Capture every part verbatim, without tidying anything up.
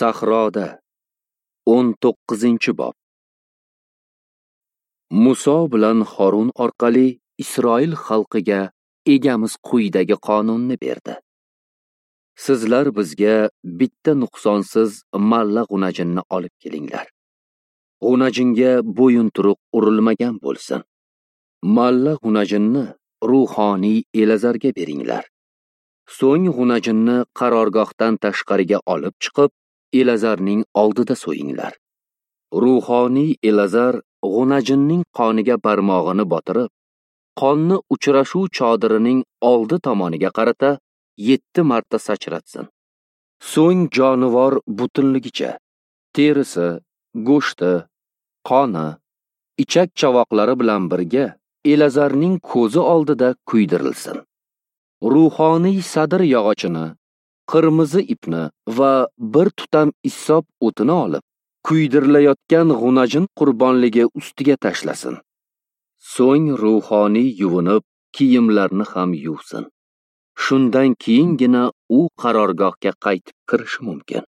Sahroda o'n to'qqizinchi bob. Muso bilan Horun orqali Isroil xalqiga Egamiz quyidagi qonunni berdi. Sizlar bizga bitta nuqsonsiz malla g'unajinni olib kelinglar. G'unajinga bo'yinturuq urilmagan bo'lsin. Malla g'unajinni ruhoniy Elazarga beringlar. So'ng g'unajinni qarorgohdan tashqariga olib chiqib, Elazarning oldida so'yinglar. Ruhoniy Elazar g'unajinning qoniga barmog'ini botirib, qonni uchrashuv chodirining oldi tomoniga qarata yetti marta sachratsin. So'ng jonivor butunligicha, terisi, go'shti, qoni, ichak chavoqlari bilan birga Elazarning ko'zi oldida kuydirilsin. Ruhoniy sadir yog'ochini, qirmizi ipni va bir tutam issop o'tini olib, kuydirilayotgan g'unajin qurbonligi ustiga tashlasin. So'ng ruhoniy yuvinib, kiyimlarini ham yuvsin. Shundan keyingina u qarorgohga qaytib kirishi mumkin.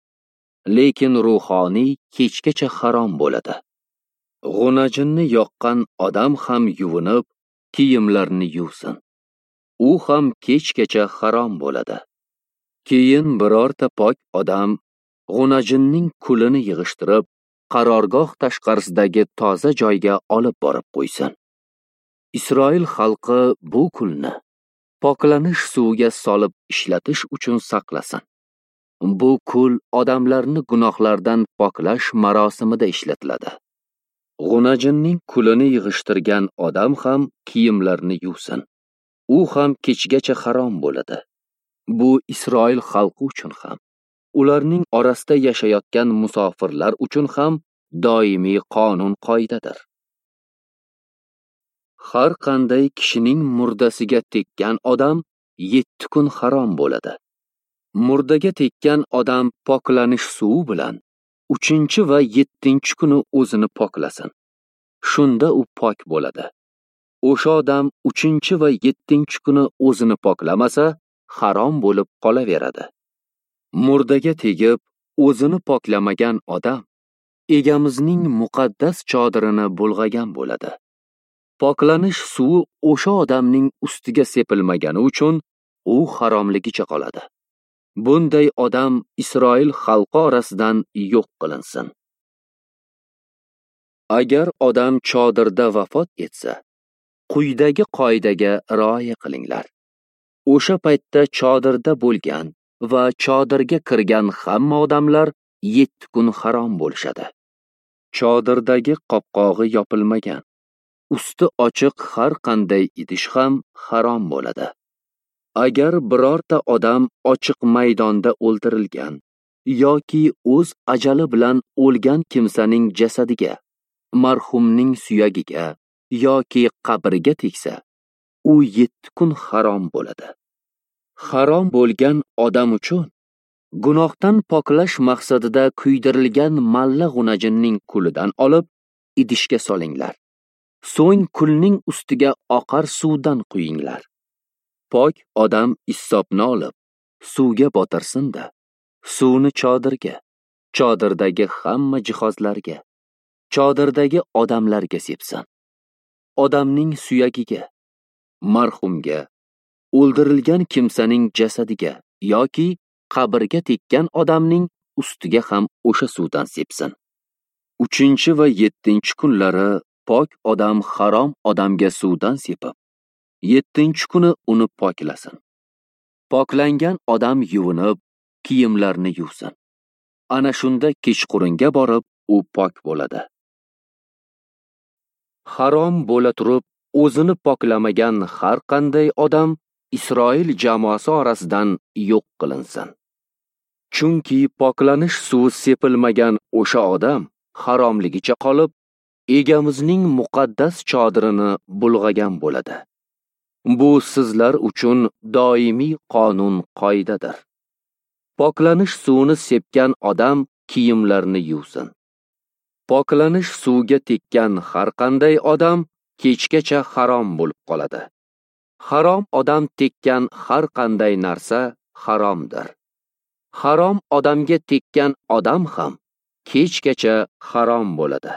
Lekin ruhoniy kechgacha harom bo'ladi. G'unajinni yoqqan odam ham yuvinib, kiyimlarini yuvsin. U ham kechgacha harom bo'ladi. Keyin birorta pok odam g'unajinning kulini yig'ishtirib, qarorgoh tashqarisidagi toza joyga olib borib qo'ysin. Isroil xalqi bu kulni poklanish suviga solib ishlatish uchun saqlasin. Bu kul odamlarni gunohlardan poklash marosimida ishlatiladi. G'unajinning kulini yig'ishtirgan odam ham kiyimlarini yuvsin. U ham kechgacha harom bo'ladi. Bu Isroil xalqi uchun ham, ularning orasida yashayotgan musofirlar uchun ham doimiy qonun qoidadir. Har qanday kishining murdasiga tekkan odam yetti kun harom bo'ladi. Murdaga tekkan odam poklanish suvi bilan uchinchi va yettinchi kuni o'zini poklasin. Shunda u pok bo'ladi. O'sha odam uchinchi va yettinchi kuni o'zini poklamasa, harom bo'lib qolaveradi. Murdaga tegib, o'zini poklamagan odam Egamizning muqaddas chodirini bulg'agan bo'ladi. Poklanish suvi o'sha odamning ustiga sepilmagani uchun u haromligicha qoladi. Bunday odam Isroil xalqi orasidan yo'q qilinsin. Agar odam chodirda vafot etsa, quyidagi qoidaga rioya qilinglar. O'sha paytda chodirda bo'lgan va chodirga kirgan hamma odamlar yetti kun harom bo'lishadi. Chodirdagi qopqog'i yopilmagan, usti ochiq har qanday idish ham harom bo'ladi. Agar birorta odam ochiq maydonda o'ldirilgan yoki o'z ajali bilan o'lgan kimsaning jasadiga, marhumning suyagiga yoki qabriga tegsa, u yetti kun harom bo'ladi. Harom bo'lgan odam uchun gunohdan poklash maqsadida kuydirilgan malla g'unajinning kulidan olib idishga solinglar. So'ng kulning ustiga oqar suvdan quyinglar. Pok odam issopni olib, suvga botirsin-da, suvni chodirga, chodirdagi hamma jihozlarga, chodirdagi odamlarga sepsin. Odamning suyagiga, marhumga, o'ldirilgan kimsaning jasadiga yoki qabrga tekkan odamning ustiga ham o'sha suvdan sepsin. Uchinchi va yettinchi kunlari pok odam harom odamga suvdan sepib, yettinchi kuni uni poklasin. Poklangan odam yuvinib, kiyimlarini yuvsin. Ana shunda kechqurunga borib u pok bo'ladi. Harom bo'la turib, o'zini poklamagan har qanday odam Isroil jamoasi orasidan yo'q qilinsin. Chunki poklanish suvi sepilmagan o'sha odam haromligicha qolib, Egamizning muqaddas chodirini bulg'agan bo'ladi. Bu sizlar uchun doimiy qonun qoidadir. Poklanish suvini sepgan odam kiyimlarini yuvsin. Poklanish suvga tekkan har qanday odam kechgacha harom bo'lib qoladi. Harom odam tekkan har qanday narsa haromdir. Harom odamga tekkan odam ham kechgacha harom bo'ladi.